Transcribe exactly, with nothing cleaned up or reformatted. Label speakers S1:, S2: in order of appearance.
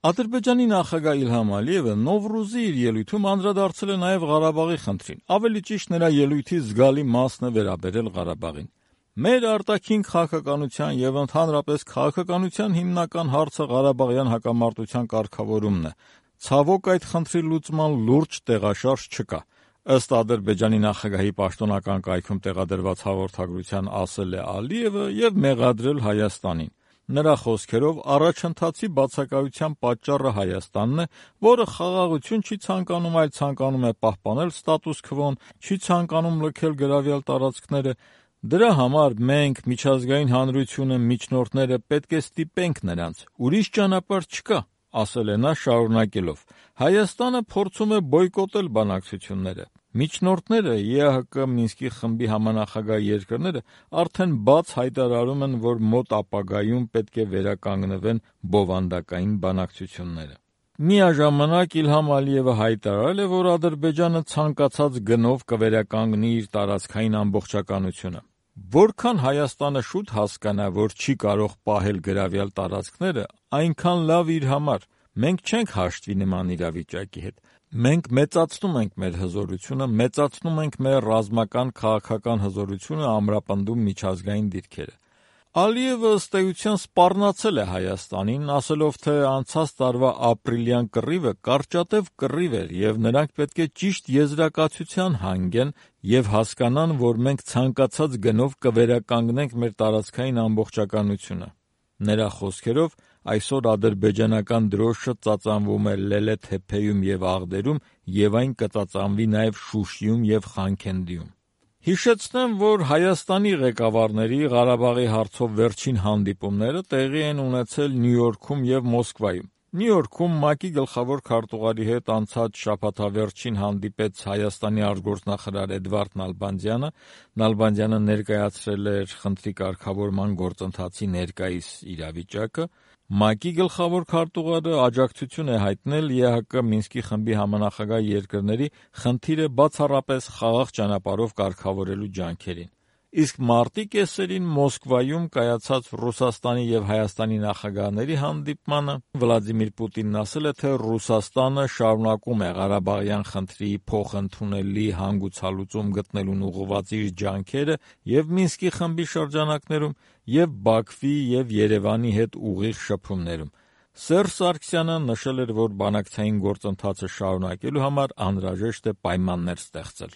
S1: Ադրբեջանի նախագահ Իլհամ Ալիևը Նովրուզի իր ելույթում անդրադարձել է նաև Ղարաբաղի խնդրին, ավելի ճիշտ նրա ելույթի զգալի մասն է վերաբերել Ղարաբաղին։ Մեր արտաքին քաղաքականության եւ ընդհանրապես քաղաքականության հիմնական հարցը Ղարաբաղյան հակամարտության կարգավորումն է։ Ցավոք այդ խնդրի լուծման լուրջ տեղաշարժ չկա։ Ըստ Ադրբեջանի նախագահի պաշտոնական կայքում տեղադրված հաղորդագրության ասել է Ալիևը եւ մեղադրել Հայաստանին։ Նրա խոսքերով առաջընթացի բացակայության պատճառը Հայաստանն է, որը խաղաղություն չի ցանկանում, այլ ցանկանում է պահպանել ստատուս քվոն, չի ցանկանում լքել գրավյալ տարածքները։ Դրա համար մենք, միջազգային հանրությունը, միջնորդները պետք է ստիպենք նրանց։ Ուրիշ ճանապարհ չկա, ասել է նա շարունակելով. Հայաստանը փորձում է բոյկոտել բանակցությունները։ Միջնորդները, ԵԱՀԿ Մինսկի խմբի համանախագահ երկրները արդեն բաց հայտարարում են, որ մոտ ապագայում պետք է վերականգնվեն բովանդակային բանակցությունները։ Միաժամանակ Իլհամ Ալիևը հայտարարել է, որ Ադրբեջանը ցանկացած գնով կվերականգնի իր տարածքային ամբողջականությունը։ Որքան Հայաստանը շուտ հասկանա, որ չի կարող պահել գրավյալ տարածքները, այնքան լավ իր համար։ Մենք չենք հաշտվի նման իրավիճակի հետ։ Մենք մեծացնում ենք մեր հզորությունը, մեծացնում ենք մեր ռազմական քաղաքական հզորությունը, ամրապնդում միջազգային դիրքերը։ Ալիևը ըստ էության սպառնացել է Հայաստանին, ասելով, թե անցած տարվա ապրիլյան կռիվը կարճատև կռիվ էր եւ նրանք պետք է ճիշտ եզրակացության հանգեն եւ հասկանան, որ մենք ցանկացած գնով կվերականգնենք մեր տարածքային ամբողջականությունը։ Նրա խոսքերով այսօր ադրբեջանական դրոշը ծածանվում է Լելե-Թեփեյում եւ Աղդերում եւ այն կծածանվի նաեւ Շուշիում եւ Խանքենդիում։ Հիշեցնեմ, որ Հայաստանի ղեկավարների Ղարաբաղի հարցով վերջին հանդիպումները տեղի են ունեցել Նյու Յորքում եւ Մոսկվայում։ Նյու Յորքում ՄԱԿ-ի գլխավոր քարտուղարի հետ անցած շաբաթավերջին հանդիպեց Հայաստանի արտգործնախարար Էդվարդ Նալբանդյանը։ Նալբանդյանը ներկայացրել էր խնդրի կարգավորման գործընթացի ներկայիս իրավիճակը։ ՄԱԿ-ի գլխավոր քարտուղարը աջակցություն է հայտնել ԵԱՀԿ Մինսկի խմբի համանախագահ երկրների խնդիրը բացառապես խաղաղ ճանապարհով կարգավորելու ջանքերին։ Իսկ մարտի կեսերին Մոսկվայում կայացած Ռուսաստանի եւ Հայաստանի նախագահների հանդիպմանը Վլադիմիր Պուտինն ասել է, թե Ռուսաստանը շարունակում է Ղարաբաղյան խնդրի փոխընդունելի հանգուցալուծում գտնելուն ուղղված իր ջանքերը եւ Մինսկի խմբի շրջանակներում, եւ Բաքվի եւ Երևանի հետ ուղիղ շփումներում։ Սերժ Սարգսյանը նշել էր, որ բանակցային գործընթացը շարունակելու համար անհրաժեշտ է պայմաններ ստեղծել։